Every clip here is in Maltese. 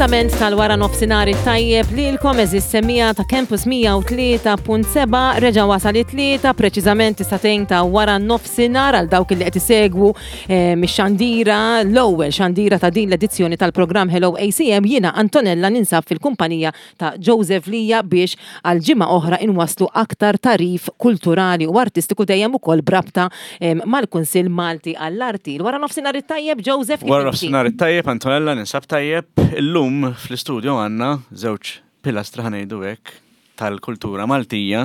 L-appuntament tal-wara nofsinhar it-tajjeb lilkom eżis semija ta' Campus 103.7 reġa' wasal it-tlieta preċiżament is-satejn ta' wara nofsinhar għal dawk li qed isegwu eh, mix-xandira l-ewwel xandira ta' din l-edizzjoni tal-programm Hello ACM jiena Antonella ninsab fil-kumpanija ta' Joseph Lija biex għal ġimgħa oħra inwasslu aktar tagħrif kulturali u artistiku dejjem ukoll b'rabta mal-Kunsill Malti għall-Arti. Wara nofsinhar it-tajjeb Joseph. Wara nofsinhar it-tajjeb Antonella ninsab tajjeb. Illum fl-istudio għandna żewġ pilastri ħa ngħidu hekk tal-kultura Maltija.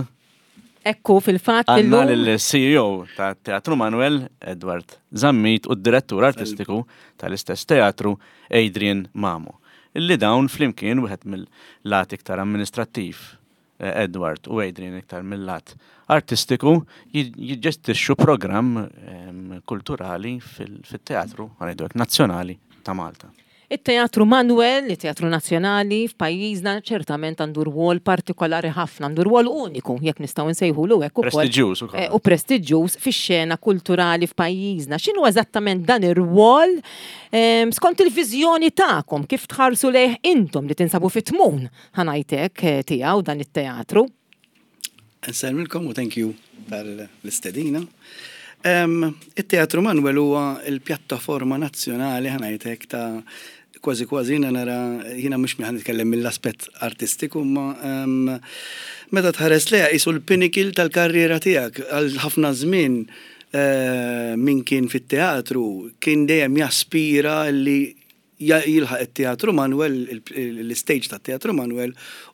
Ekku fil-fatt Għandna lill-CEO ta' Teatru Manuel, Edward Zammit, u d-direttur artistiku tal-istess teatru, Adrian Mamo. Illi dawn flimkien wieħed mill-lat iktar amministrattiv, eh, Edward u Adrian iktar mill-lat artistiku, jiġġestixxu programm ehm, kulturali fil-teatru, ħanejdu nazzjonali ta' Malta. It-Teatru Manoel, it-teatru nazzjonali f'pajjiżna ċertament għandu rwol partikolari ħafna, għandu rwol uniku, jekk nistgħu nsejħulu hekk ukoll. Prestiġjuż ukoll. Eh, u prestiġjuż fix-xena kulturali f'pajjiżna. X'inhu eżattament dan ir-rwol ehm, skont il-viżjoni tagħkom kif tħarsu lejh intom li tinsabu fit-tmun ħa ngħid hekk eh, tiegħu dan it-teatru? Nsellmilkom u thank you tal-istedina. It-Teatru Manuel huwa l-pjattaforma nazzjonali ħa ngħid hekk ta' kważi kważi jiena nara jiena mhux ħa nitkellem mill-aspett artistiku imma meta tħares lejha qisu l-pinnacle tal-karriera tiegħek għal ħafna żmien eh, min kien fit-teatru kien dejjem jaspira li jilħaq it-Teatru Manuel, l-istage tat-Teatru Manuel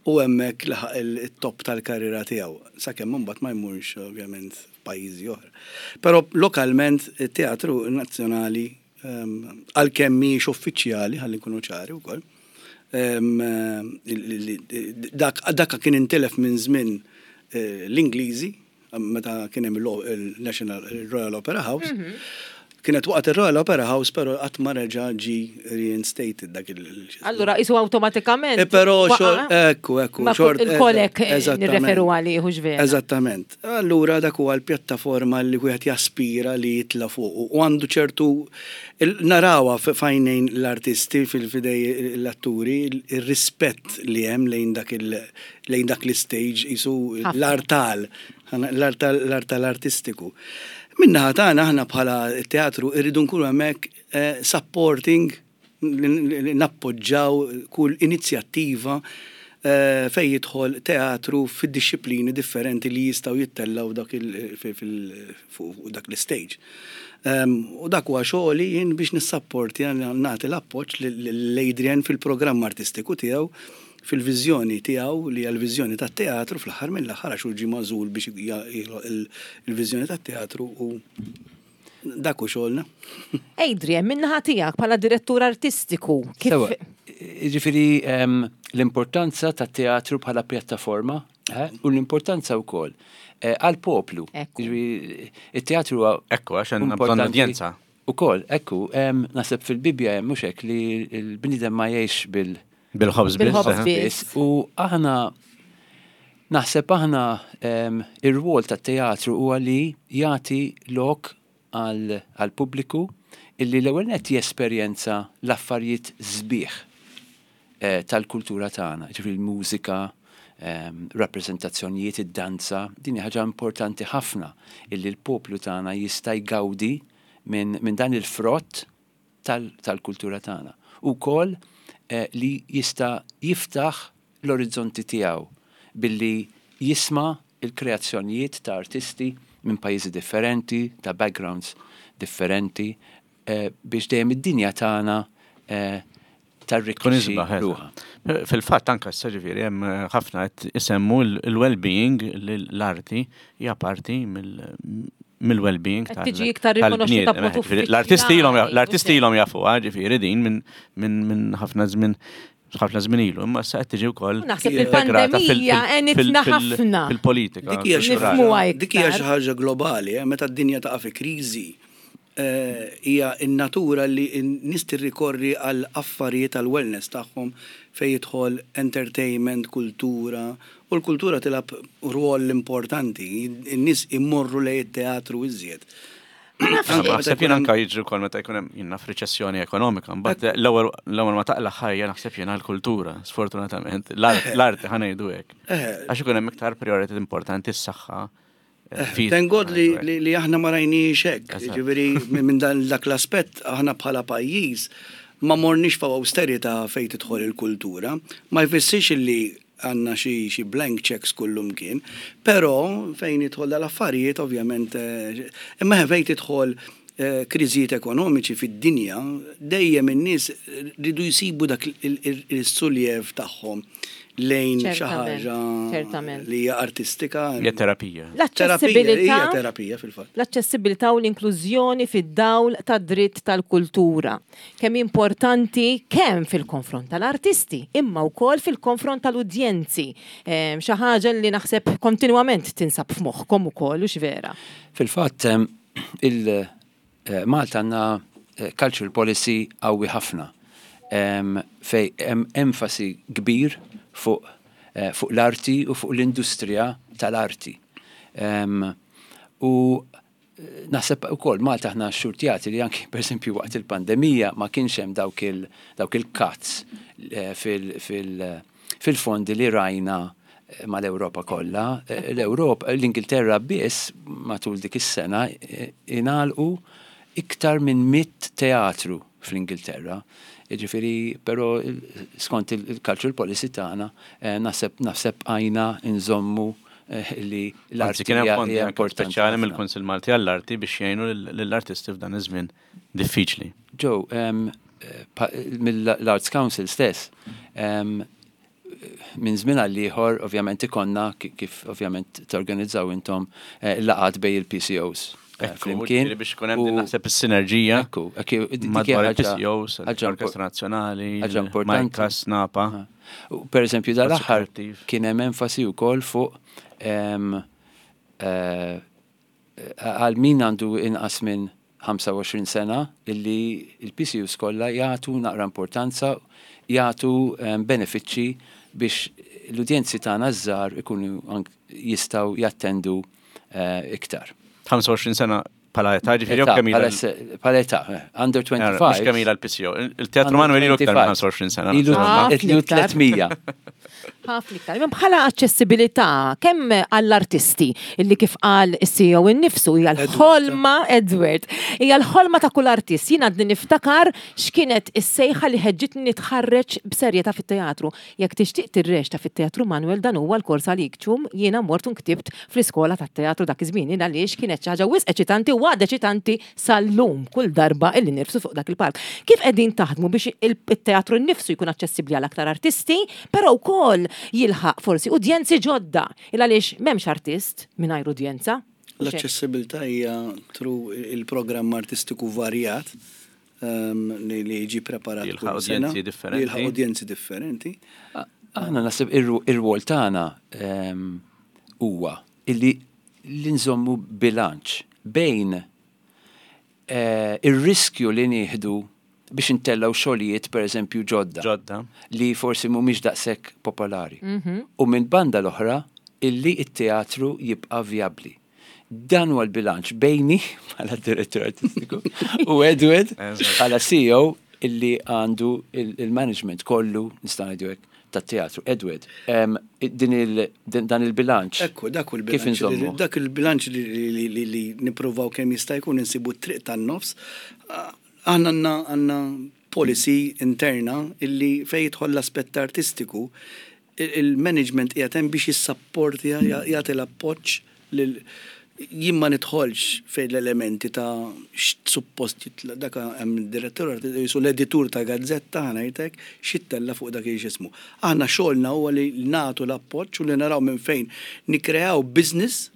u hemmhekk laħaq it-top tal-karriera tiegħu, sakemm imbagħad ma jmurx ovvjament f'pajjiżi oħra. Però lokalment it-Teatru Nazzjonali għalkemm mhijiex uffiċjali, ħalli nkunu ċari wkoll, dak kien intilef minn żmien l-Ingliżi, meta kien hemm il-National Royal Opera House. Mhm. Kienet waqgħet ir-Royal Opera House, però qatt ma reġa' ġi reinstated dak il. Allura isu awtomatikament. Eh, però xor, ekku, ekku, xort. Il-kolek eh, nirreferu għalih hux vera. Eżattament. Allura dak huwa l-pjattaforma li wieħed jaspira li jitla' fuq u għandu ċertu narawha f'għajnejn l-artisti fil-fidej l-atturi ir-rispett li hemm lejn dak il lejn dak l-istage qisu l-artal, l-artal artistiku. Min-naħa tagħna aħna bħala teatru irridu nkunu hemmhekk eh, supporting nappoġġaw kull inizjattiva eh, fejn jidħol teatru fid-dixxiplini differenti li jistgħu jittellgħu dak fuq dak l-istage. Ehm, u dak huwa xogħli jien biex nissapporti nagħti l-appoġġ lil Adrian fil-programm artistiku tiegħu fil-viżjoni tiegħu li hija l-viżjoni tat-teatru fl-aħħar mill-aħħar għax hu ġie magħżul biex jilħoq il-viżjoni tat-teatru u dak hu xogħolna. Adrian, min-naħa tiegħek bħala direttur artistiku, kif. Sewa, jiġifieri ehm, l-importanza tat-teatru bħala pjattaforma eh, u l-importanza wkoll eh, għall-poplu. Jiġifieri it-teatru huwa Ekku, għax għandna bżonn udjenza. Ukoll, ekku, ehm, naħseb fil-Bibbja hemm mhux hekk li l-bniedem ma jgħix bil Bil-ħobż biss. biss. U aħna naħseb aħna ir-rwol tat-teatru huwa li jagħti lok għall-pubbliku illi l-ewwel nett jesperjenza l-affarijiet sbieħ eh, tal-kultura tagħna, ġifieri l-mużika, rappreżentazzjonijiet, id-danza, din hija ħaġa importanti ħafna illi l-poplu tagħna jista' jgawdi minn dan il-frott tal-kultura tagħna. U wkoll eh, li jista' jiftaħ l-orizzonti tiegħu billi jisma' il-kreazzjonijiet ta' artisti minn pajjiżi differenti, ta' backgrounds differenti, eh, biex dejjem id-dinja tagħna eh, tarrikkixxi ruħha. Fil-fatt anke issa ġifieri hemm ħafna qed isemmu l-well-being li l-arti hija parti mill-well-being tal Tiġi iktar rikonoxxuta b'mod uffiċjali. L-artisti ilhom l-artisti ilhom jafuha ġifieri din minn ħafna żmien ħafna żmien ilu, imma issa qed tiġi wkoll Naħseb li l-pandemija għenitna ħafna. Fil-politika. Dik hija xi ħaġa globali, eh, meta d-dinja taqa' fi kriżi hija n-natura li n-nies tirrikorri għal affarijiet għall-wellness tagħhom fejn jidħol entertainment, kultura, u l-kultura tilgħab rwol importanti. In-nies imorru lejn it-teatru iżjed. Naħseb jien anka jiġri wkoll meta jkun hemm jien naf riċessjoni ekonomika, mbagħad l-ewwel l-ewwel ma taqla' ħajja naħseb jiena l-kultura, sfortunatament. L-arti ħa ngħidu hekk. Għax ikun hemm iktar priority importanti s-saħħa. Thank God li aħna ma rajniex hekk. Ġifieri minn dan dak l-aspett aħna bħala pajjiż ma morniex fuq austerità fejn tidħol il-kultura. Ma jfissirx li għandna xi blank checks kullumkien, però fejn jidħol dal-affarijiet ovvjament imma fejn tidħol kriżijiet ekonomiċi fid-dinja dejjem in-nies ridu jsibu dak is-suljev tagħhom lejn xi ħaġa li hija artistika. Hija terapija. L-aċċessibilità. Hija terapija fil-fatt. L-aċċessibilità u l-inklużjoni fid-dawl tad-dritt tal-kultura. Kemm importanti kemm fil-konfront tal-artisti, imma wkoll fil-konfront tal-udjenzi. Xi ħaġa li naħseb kontinwament tinsab f'moħħkom ukoll, hux vera? Fil-fatt, il-Malta għandna cultural policy qawwi ħafna fejn hemm enfasi kbir fuq fuq l-arti u fuq l-industrija tal-arti. U naħseb ukoll Malta aħna xxurtjati li anki pereżempju waqt il-pandemija ma kienx hemm dawk il dawk il-cuts fil-fondi li rajna mal-Ewropa kollha. L-Ewropa, l-Ingilterra biss matul dik is-sena ingħalqu iktar minn 100 teatru fl-Ingilterra. Jiġifieri, però skont il-cultural policy tagħna naħseb naħseb bqajna nżommu li l-arti kien hemm fondi importanti speċjali mill-Kunsill Malti għall-Arti biex jgħinu lill-artisti f'dan iż-żmien diffiċli. Joe, mill-Arts Council stess, minn żmien għal ieħor ovvjament ikollna kif ovvjament torganizzaw intom laqgħat bejn il-PCOs. Flimkien. Biex ikun hemm naħseb is-sinerġija. Ekku, madwar il-PCOs, l-Orkestra Nazzjonali, ħaġa importanti. Majkas, Napa. Per eżempju, dal-aħħar kien hemm enfasi wkoll fuq għal min għandu inqas minn 25 sena illi il-PCUs kollha jagħtu naqra importanza, jagħtu benefiċċji biex l-udjenzi tagħna ż-żgħar ikunu jistgħu jattendu iktar. 25 sena bħala età, ġifieri jew kemm ilha? Bħala età, under 25. Mhux kemm ilha l-PCO. Il-Teatru Manuel ilu iktar minn 25 sena. Ilu 300. Ħafna iktar. Imma bħala aċċessibilità kemm għall-artisti illi kif qal is-CEO innifsu hija l-ħolma Edward, hija l-ħolma ta' kull artist. Jien għadni niftakar x'kienet is-sejħa li ħeġġitni nitħarreġ b'serjetà fit-teatru. Jekk tixtieq tirreċta fit-Teatru Manuel dan huwa l-kors għalik ċum, jiena mort u nktibt fl-iskola tat-teatru dak iż-żmien jien għaliex kienet xi ħaġa wisq eċitanti u għadha eċitanti sal-lum kull darba illi nirfsu fuq dak il-palk. Kif qegħdin taħdmu biex it-teatru nnifsu jkun aċċessibbli għal aktar artisti, però wkoll jilħaq forsi udjenzi ġodda il għaliex m'hemmx artist mingħajr udjenza? L-aċċessibilità hija through il-programm artistiku varjat li jiġi preparat kull sena. Li jilħaq udjenzi differenti. Aħna naħseb ir-rwol tagħna huwa illi li nżommu bilanċ bejn ir-riskju li nieħdu biex intellgħu xogħlijiet pereżempju ġodda. Ġodda. Li forsi mhumiex daqshekk popolari. U minn banda l-oħra illi t-teatru jibqa' vijabbli. Dan huwa l-bilanċ bejni bħala direttur artistiku u Edward bħala CEO illi għandu il-management kollu nista' ngħidu hekk tat-teatru. Edward, din il, dan il-bilanċ. Ekku, dak hu l-bilanċ. Dak il-bilanċ li nippruvaw kemm jista' jkun insibu t-triq tan-nofs. Aħna għandna policy interna illi fejn jidħol l-aspett artistiku Il-management qiegħed hemm biex jissapportja, jagħti l-appoġġ lil jien ma nidħolx fejn l-elementi ta' x'suppost jitla' dak hemm direttur qisu l-editur ta' gazzetta ħa ngħid hekk, x'jittella' fuq dak x'ismu. Aħna xogħolna huwa li nagħtu l-appoġġ u li naraw minn fejn nikkreaw business,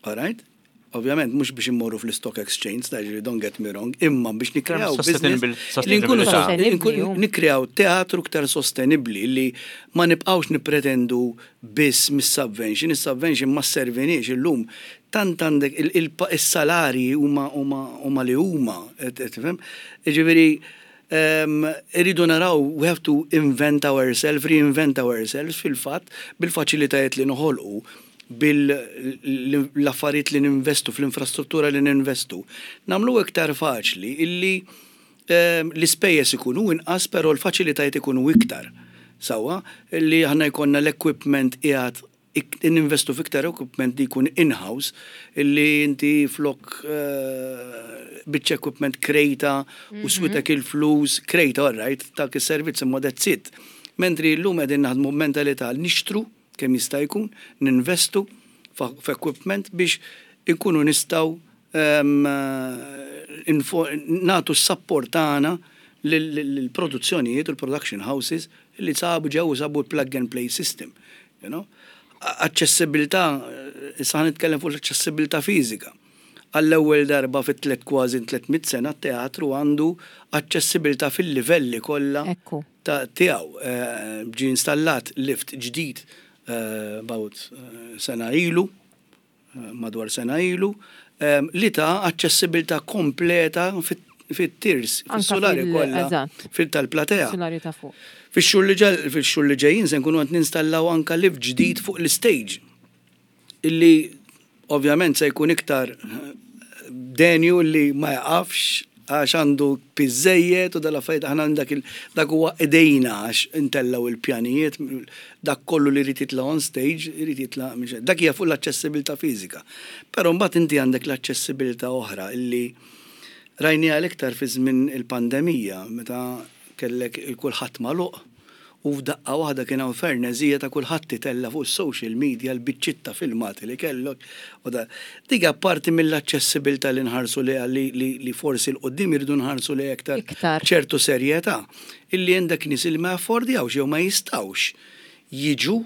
all right? Ovvjament mhux biex immorru fl-stock exchange, ta' ġifieri don't get me wrong, imma biex nikkreaw business li nkunu nikkreaw teatru iktar sostenibbli li ma nibqgħux nippretendu biss mis-subvention, is-subvention ma sserviniex illum tant għandek is-salarji huma huma li huma, tifhem? Jiġifieri irridu naraw we have to invent ourselves, reinvent ourselves fil-fatt bil-faċilitajiet li noħolqu. bil-affarijiet li ninvestu, fl-infrastruttura li ninvestu, nagħmlu iktar faċli illi l-ispejjeż ikunu inqas però l-faċilitajiet ikunu iktar. Sewwa, li aħna jkollna l-equipment qiegħed ninvestu f'iktar equipment li jkun in-house illi inti flok biċċa equipment krejta u switek il-flus, krejta all right, tak is-servizz imma that's it. Mentri llum qegħdin naħdmu b'mentalità li nixtru kemm jista' jkun, ninvestu f'equipment biex inkunu nistgħu nagħtu s-sapport tagħna lill-produzzjonijiet u l-production houses li sabu ġew u sabu l-plug and play system. You know? Aċċessibilità, issa ħa nitkellem fuq l-aċċessibilità fiżika. Għall-ewwel darba fi tlet kważi 300 sena t-teatru għandu aċċessibilità fil-livelli kollha ta' tiegħu. Ġie installat lift ġdid about sena ilu, madwar sena ilu, li ta aċċessibilità kompleta fit-tiers, fis-sulari kollha fil-tal-platea. Sulari ta' fuq. Fix-xhur li ġejjin se nkunu qed ninstallaw anka lift ġdid fuq l-istage illi ovvjament se jkun iktar denju li ma jaqafx għax għandu piż żejjed u dal-affarijiet. Aħna dak dak huwa idejna għax intellaw il-pjanijiet, dak kollu li jrid jitla' on stage irid jitla'. Dak hija fuq l-aċċessibilità fiżika. Però mbagħad inti għandek l-aċċessibilità oħra illi rajniha l-iktar fi żmien il-pandemija, meta kellek il-kulħadd magħluq u f'daqqa waħda kien hawn ferneżija ta' kulħadd itella' fuq is-social media l-biċċiet ta' filmati li kellok. U da dik parti mill-aċċessibilità li nħarsu li li forsi 'l quddiem iridu nħarsu li iktar ċertu serjetà illi għandek nies li ma jaffordjawx jew ma jistgħux jiġu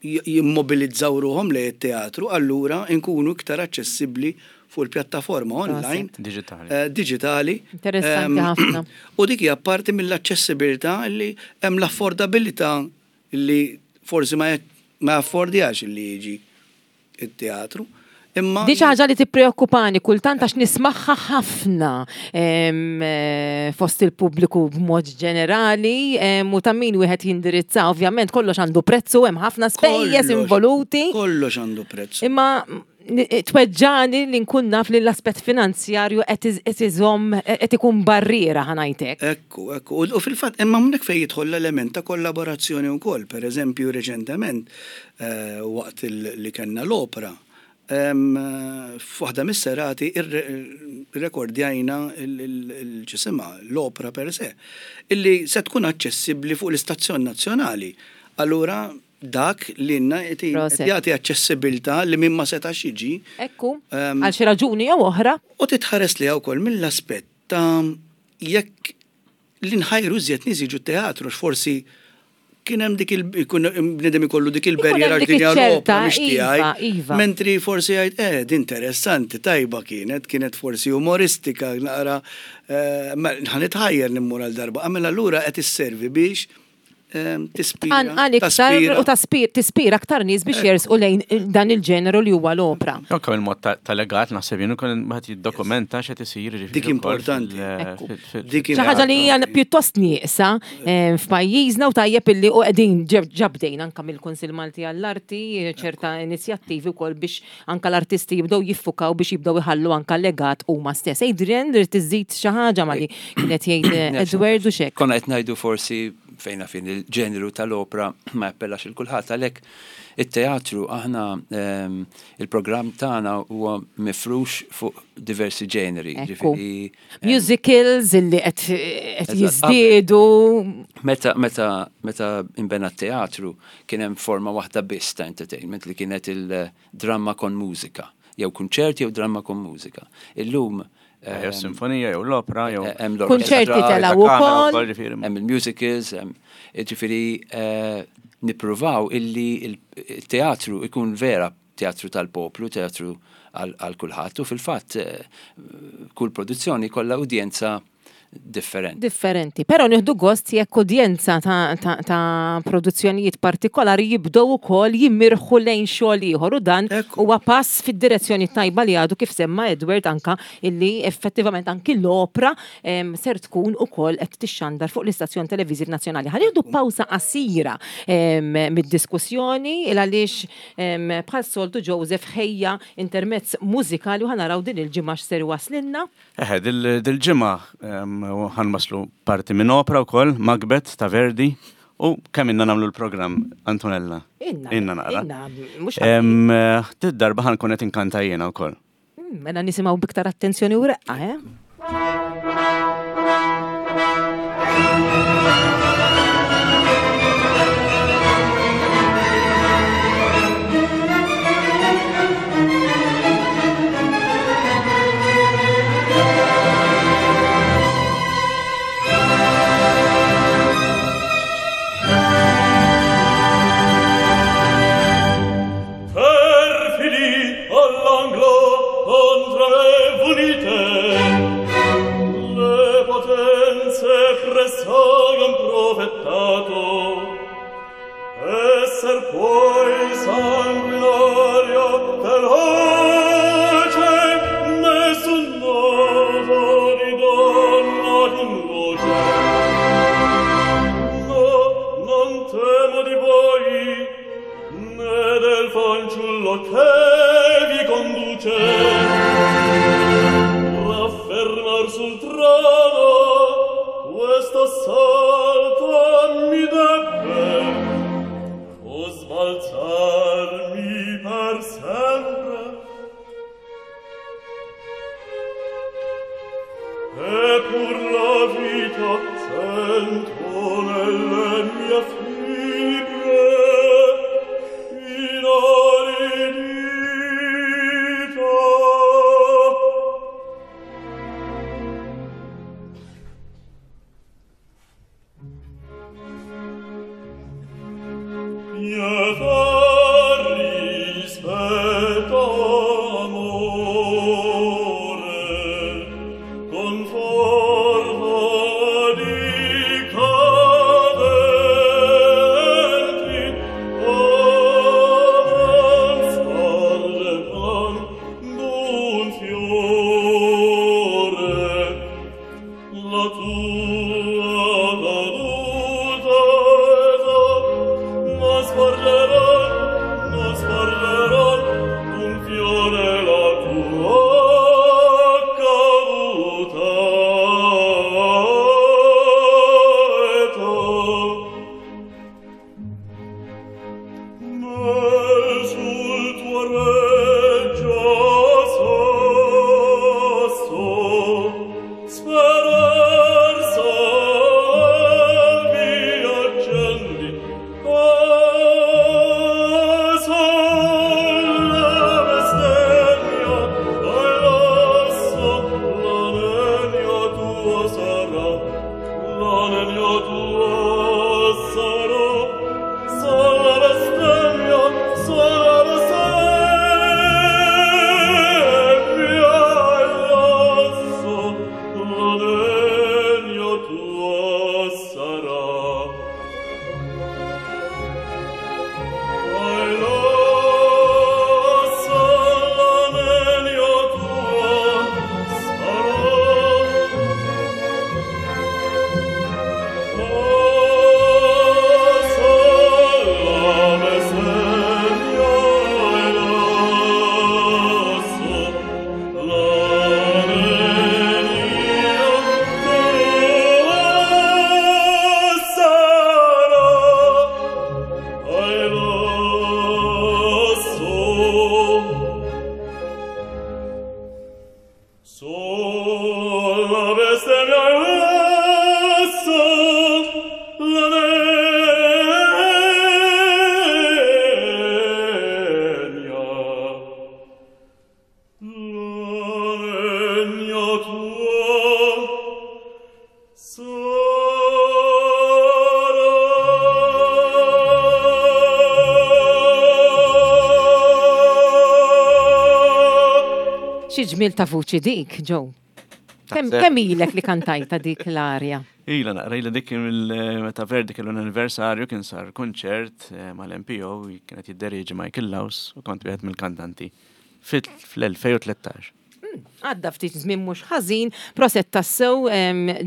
jimmobilizzaw ruħhom lejn it-teatru, allura nkunu iktar aċċessibbli fuq il-pjattaforma online. Digitali. Digitali. Interessanti ħafna. U dik hija parti mill-aċċessibilità li hemm l-affordabilità li forsi ma jaffordjax li jiġi it-teatru. Imma Di xi ħaġa li tippreokkupani kultant għax nismagħha ħafna fost il-pubbliku b'mod ġenerali u ta' min wieħed jindirizza. Ovvjament kollox għandu prezzu, hemm ħafna spejjeż involuti. Kollox għandu prezzu. Imma tweġġani li nkun naf li l-aspett finanzjarju qed iżomm, qed ikun barriera, ħa ngħidlek. Ekku. U fil-fatt, imma hawnhekk fejn jidħol l-element ta' kollaborazzjoni wkoll. Per eżempju, reċentement, waqt li kellna l-opera, f'waħda mis-serati irrekordjajna il-ġisimha, l-opera per se, illi se tkun aċċessibbli fuq l-istazzjon nazzjonali. Allura, dak li jagħti aċċessibilità li min ma setax jiġi. Ekku, għal xi raġuni jew oħra. U titħares li wkoll mill-aspett ta' jekk li nħajru iżjed nies jiġu teatru, forsi kien hemm dik il bniedem ikollu dik il-barriera dik din hija iċ-ċerta, l-opera mhix tiegħi. Iva. Mentri forsi jgħid, din interessanti, tajba kienet, kienet forsi umoristika, naqra, ħa nitħajjer immur għal darba. Għamel allura qed isservi biex tispira. Għal iktar taspira. U tispira aktar nies biex jersqu lejn dan il-ġeneru li huwa l-opra. Anke il-mod ta' legat naħseb jien ukoll wieħed jiddokumenta x'qed isir, jiġifieri Dik ukoll importanti. Dik Xi ħaġa li hija pjuttost nieqsa f'pajjiżna u tajjeb illi u qegħdin ġabdejn anke mill-Kunsill Malti għall-Arti ċerta inizjattivi wkoll biex anke l-artisti jibdew jiffukaw biex jibdew iħallu anke legat huma stess. Adrian, trid tiżid xi ħaġa ma li kienet jgħid Edward u xek. Konna qed ngħidu forsi fejna fin il-ġeneru tal-opera ma jappellax il kulħadd, għalhekk it-teatru aħna il-programm tagħna huwa mifrux fuq diversi ġeneri. Ġifieri, Musicals illi qed jiżdiedu. Meta imbena t-teatru kien hemm forma waħda biss ta' entertainment li kienet il-dramma con mużika, jew kunċert jew dramma con mużika. Illum Jew sinfonija, jew l-opera, jew hemm l-orkestra, Kunċerti telgħu ta' kamera ukoll. wkoll, ġifieri. Hemm il-musicals, hemm ġifieri nippruvaw illi il-teatru ikun vera teatru tal-poplu, teatru għal kulħadd u fil-fatt kull produzzjoni kollha udjenza. differenti. Differenti. Però nieħdu gost jekk udjenza ta', ta, ta produzzjonijiet partikolari jibdew ukoll jimirħu lejn xogħol ieħor u dan huwa pass fid-direzzjoni tajba li għadu kif semma Edward anka illi effettivament anki l-opra ser tkun ukoll qed tixxandar fuq l-istazzjon televiżiv nazzjonali. Ħa nieħdu pawsa qasira mid-diskussjoni il għaliex bħal soltu Joseph ħejja intermezz mużikali u ħanaraw din il-ġimgħa x'ser waslilna. Eħe, dil-ġimgħa ħanwaslu parti minn opra wkoll, Macbeth ta' Verdi, u kemm inna nagħmlu l-programm, Antonella? Inna. Inna naqra. Inna, mhux Did-darba ħankun qed inkanta jiena wkoll. Mela nisimgħu biktar attenzjoni u reqqa, eh? Xi ġmiel ta' vuċi dik, Joe. Kemm ilek li kantajta dik l-arja? Ila naqra ila dik meta Verdi kellu l-anniversarju kien sar kunċert eh, mal-MPO kienet jidderieġi Michael Laus u kont wieħed mill-kantanti fl-2013. Għadda ftit żmien mhux ħażin, proset tassew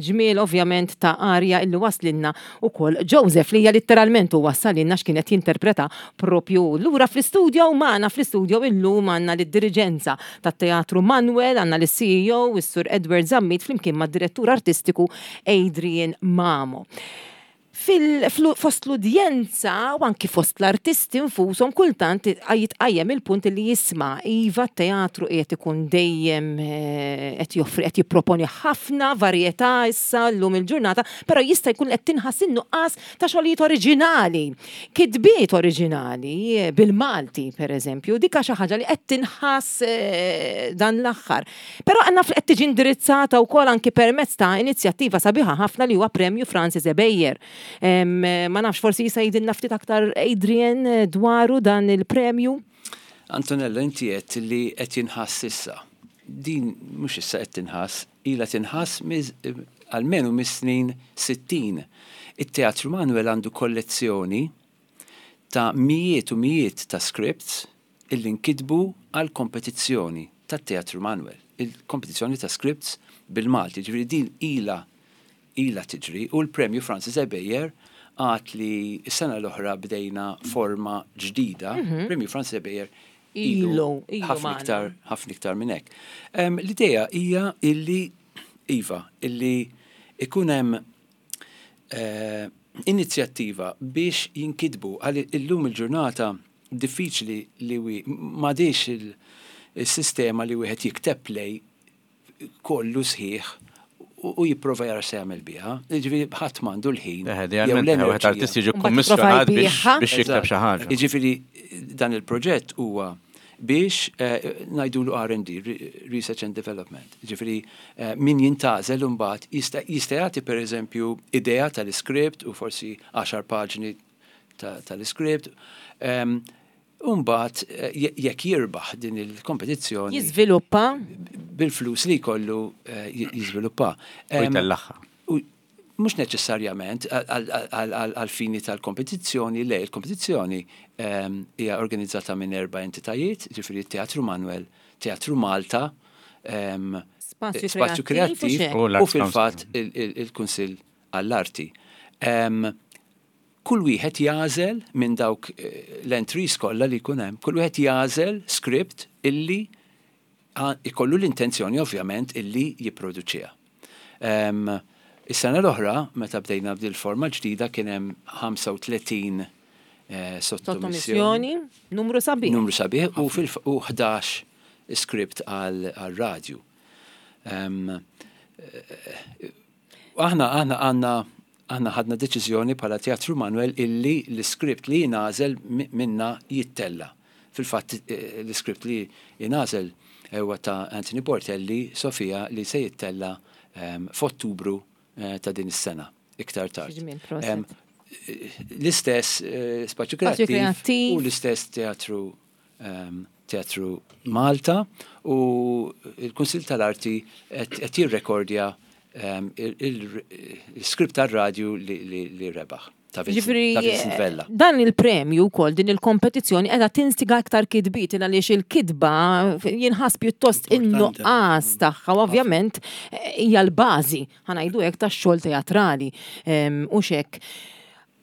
ġmiel ovvjament ta' arja illi waslinna ukoll Joseph li hija litteralment u wassalinna x'kien qed jinterpreta propju lura fl-istudio magħna fl-istudio illum għandna lid-diriġenza tat-Teatru Manuel, għandna lis-CEO is-Sur Edward Zammit flimkien mad-Direttur Artistiku Adrian Mamo. Fost l-udjenza u anki fost l-artisti nfushom kultant jitqajjem il-punt li jisma' iva t-teatru qiegħed ikun dejjem eh, qed joffri qed jipproponi ħafna varjetà issa llum il-ġurnata, però jista' jkun qed tinħass in-nuqqas ta' xogħlijiet oriġinali, kitbiet oriġinali eh, bil-Malti pereżempju, dik xi ħaġa li qed tinħass eh, dan l-aħħar. Però naf li qed tiġi indirizzata wkoll anki permezz ta' inizjattiva sabiħa ħafna li huwa Premju Francis Ebejer. Ma nafx forsi jista' jgħidilna ftit aktar Adrian dwaru dan il-premju? Antonella, inti għedt li qed jinħass issa. Din mhux issa qed tinħass, ilha tinħass almenu mis-snin 60. It-Teatru Manuel għandu kollezzjoni ta' mijiet u mijiet ta' scripts illi nkitbu għall-kompetizzjoni tat-Teatru Manuel, il-kompetizzjoni ta' scripts bil-Malti. Ġifieri din ilha ilha tiġri u l-Premju Francis Ebejer għad li s-sena l-oħra bdejna forma ġdida, Premju Francis Ebejer ilu ħafna iktar ħafna iktar minn hekk. L-idea hija illi iva, illi ikun hemm eh, inizjattiva biex jinkitbu għal illum il-ġurnata diffiċli li m'għadix il-sistema li wieħed jikteb play kollu sħiħ u jipprova jara se jagħmel biha. Jiġifieri ħadd m'għandu l-ħin. Wieħed artist jiġi kkummissjonat biex jikteb xi ħaġa. Jiġifieri dan il-proġett huwa biex eh, ngħidulu R&D, Research and Development. Jiġifieri eh, min jintgħażel imbagħad jista' jagħti pereżempju idea tal-iskript u forsi 10 paġni tal-iskript. Ehm, u mbagħad eh, jekk jirbaħ din il-kompetizzjoni. Jiżviluppa. Bil-flus li jkollu eh, jiżviluppa. U ehm, jtellagħha. Mhux neċessarjament għal-fini tal-kompetizzjoni, le, il-kompetizzjoni ehm, hija organizzata minn erba' entitajiet, ġifieri Teatru Manuel, Teatru Malta, ehm, Spazju Kreattiv u fil-fatt il-Kunsill għall-Arti. Kull wieħed jagħżel minn dawk eh, l-entries kollha li jkun hemm, kull wieħed jagħżel script illi ikollu l-intenzjoni ovvjament illi jipproduċiha. Is-sena l-oħra, meta bdejna b'dil forma ġdida kien hemm 35 eh, sottomissjoni. Numru sabiħ. Numru sabiħ u fil 11 script għal radju. Eh, aħna aħna għandna Aħna ħadna deċiżjoni bħala Teatru Manuel illi l-iskript li jingħażel minna jittella'. Fil-fatt l-iskript li jingħażel huwa ta' Anthony Portelli, Sofia, li se jittella' f'Ottubru ta' din is-sena, iktar tard. L-istess Spazju Kreattiv u l-istess Teatru Teatru Malta u l-Kunsill tal-Arti qed jirrekordja il-script tar-radju li rebaħ. Ġifieri dan il-premju wkoll din il-kompetizzjoni qiegħda tinstiga aktar kitbiet għaliex il-kitba jinħass pjuttost in-nuqqas tagħha u ovvjament hija l-bażi ħa ngħidu hekk tax-xogħol teatrali u x'hekk.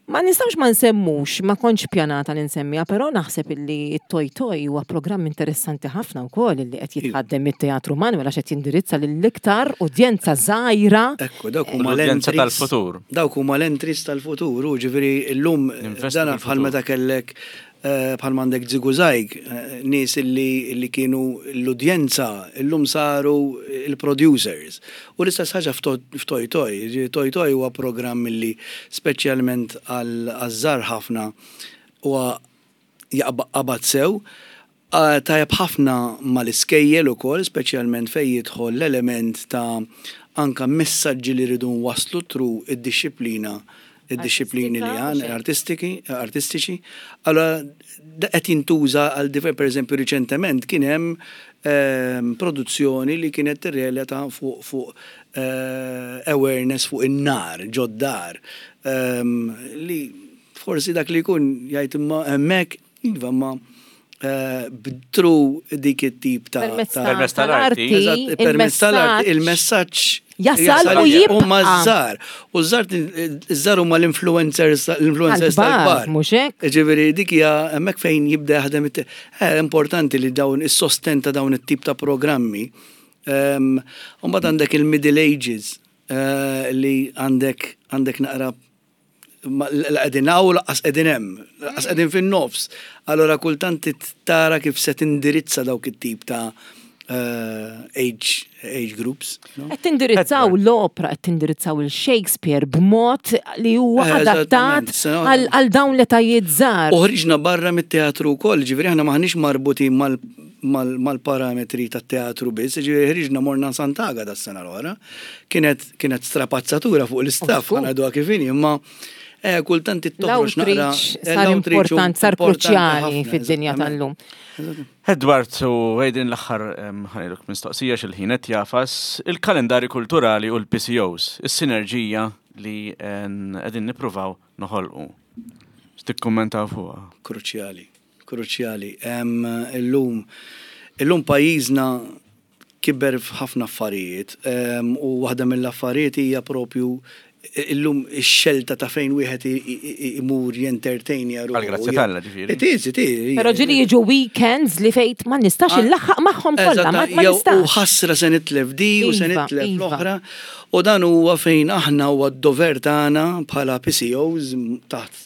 Ma nistgħux ma nsemmux, ma kontx pjanata li nsemmiha, però naħseb illi t-Toy Toy huwa programm interessanti ħafna wkoll illi qed jitħaddem mit-Teatru Manuel għax qed jindirizza lill-iktar udjenza żgħira. Ekku, dawk huma l-udjenza tal-futur. Dawk huma l-entries tal-futur, u ġifieri llum dana bħal meta kellek Bħal m'għandek Żigużajg, nies li kienu l-udjenza llum saru l-producers. U l-istess ħaġa f'Toj Toj. Jiġifieri Toj Toj huwa programm li speċjalment għaż-żgħar ħafna huwa qabad sew. Tajjeb ħafna mal-iskejjel ukoll, speċjalment fejn jidħol l-element ta' anke messaġġi li rridu nwasslu through id-dixxiplina id-dixxiplini li għan, artistiki, artistiċi. Allora, qed jintuża għal diver, per eżempju, riċentement kien hemm produzzjoni li kienet tirrelata fuq fuq awareness fuq in-nar ġod-dar li forsi dak li jkun jgħid imma hemmhekk iva imma through dik it-tip ta' Permezz tal-arti. Permezz tal-arti il-messaġġ jasal u jibqa'. Huma ż-żgħar. U ż-żgħar huma l-influencers l-influencers tal-kbar. Mhux hekk? Ġifieri dik hija hemmhekk fejn jibda jaħdem importanti li dawn is-sostenn ta' dawn it-tip ta' programmi. U mbagħad għandek il-middle ages li għandek għandek naqra la qegħdin hawn laqqas qegħdin hemm, laqqas qegħdin fin-nofs. Allura kultant tara kif se tindirizza dawk it-tip ta' age, age groups. Qed tindirizzaw l-opra, qed tindirizzaw il-Shakespeare b'mod li huwa adattat għal dawn l-etajiet żgħar. U ħriġna barra mit-teatru wkoll, ġifieri aħna m'aħniex marbutin mal-parametri tat-teatru biss, ġifieri ħriġna morna Sant'Agata s-sena l-oħra. Kienet kienet strapazzatura fuq l-istaff, ħa ngħiduha kif inhi, imma eh, kultant toħroġ naqra. L-outreach sar important, sar kruċjali fid-dinja tal-lum. Edward u Adrian l-aħħar ħa ngħidlek mistoqsija x'il-ħin qed jafas, il-kalendarju kulturali u l-PCOs, is-sinerġija li qegħdin nippruvaw noħolqu. X'tikkummentaw fuqha? Kruċjali, kruċjali. Illum illum pajjiżna kiber f'ħafna affarijiet u waħda mill-affarijiet hija propju illum ix-xelta ta' fejn wieħed imur jentertainja ruħu. Għall-grazzja t'Alla ġifieri. It is, it is. Però ġieli jiġu weekends li fejn ma nistax illaħħaq magħhom kollha, ma nistax. U ħasra se nitlef di u se nitlef l-oħra. U dan huwa fejn aħna huwa d-dover tagħna bħala PCOs taħt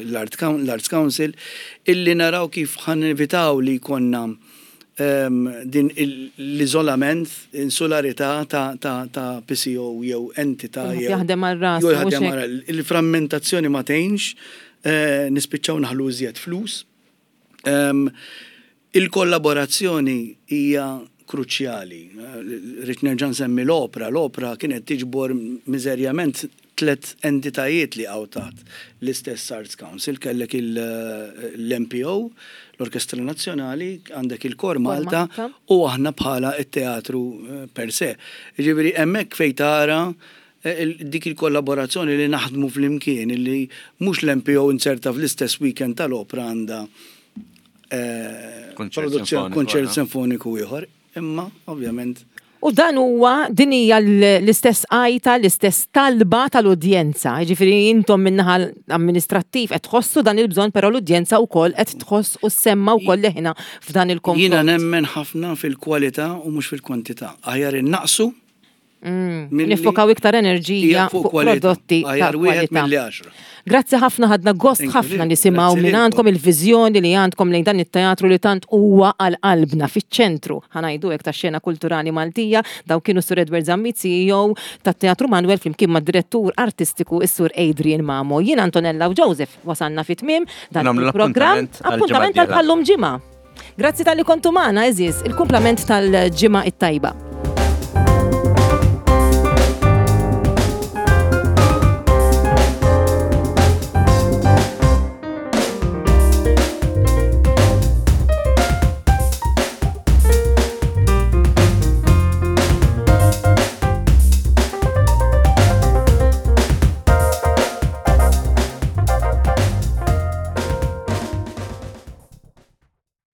l-Arts Council illi naraw kif ħa nevitaw li jkollna din l-iżolament, insularità ta' PCO jew entità jew. Jaħdem għal rasu. Jew jaħdem għal Il-frammentazzjoni ma tgħinx, nispiċċaw naħlu iżjed flus. Il-kollaborazzjoni hija kruċjali. Rrid nerġa' nsemmi l-opra. L-opra kienet tiġbor miżerjament tlett entitajiet li jaqgħu taħt l-istess Arts Council, kellek l-MPO, l-Orkestra Nazzjonali, għandek il-Kor Malta u aħna bħala t-teatru per se. Jiġifieri hemmhekk fejn tara dik il-kollaborazzjoni li naħdmu flimkien, li mhux l-MPO inzerta fl-istess weekend tal-opra għandha kunċert sinfoniku ieħor. Imma, ovvjament. U dan huwa, din hija l-istess għajta, l-istess talba tal-udjenza. Jiġifieri intom min-naħa amministrattiv qed tħossu dan il-bżonn, però l-udjenza wkoll qed tħoss u ssemma' wkoll leħinha f'dan il-konfront. Jiena nemmen ħafna fil-kwalità u mhux fil-kwantità. Aħjar innaqqsu Nifokaw iktar enerġija fuq prodotti ta' kwalità. Grazzi ħafna ħadna gost ħafna nisimgħu minn għandkom il-viżjoni li għandkom lejn dan it-teatru li tant huwa għal qalbna fiċ-ċentru ħa ngħidu hekk tax-xena kulturali Maltija. Dawn kienu Sur Edward Zammit CEO tat-Teatru Manwel flimkien mad-Direttur Artistiku is-Sur Adrian Mamo. Jien Antonella u Joseph wasalna fi tmiem dan il-programm. Appuntament għal bħal-lum ġimgħa. Grazzi talli kontu magħna għeżież, il-kumplament tal-ġimgħa it-tajba.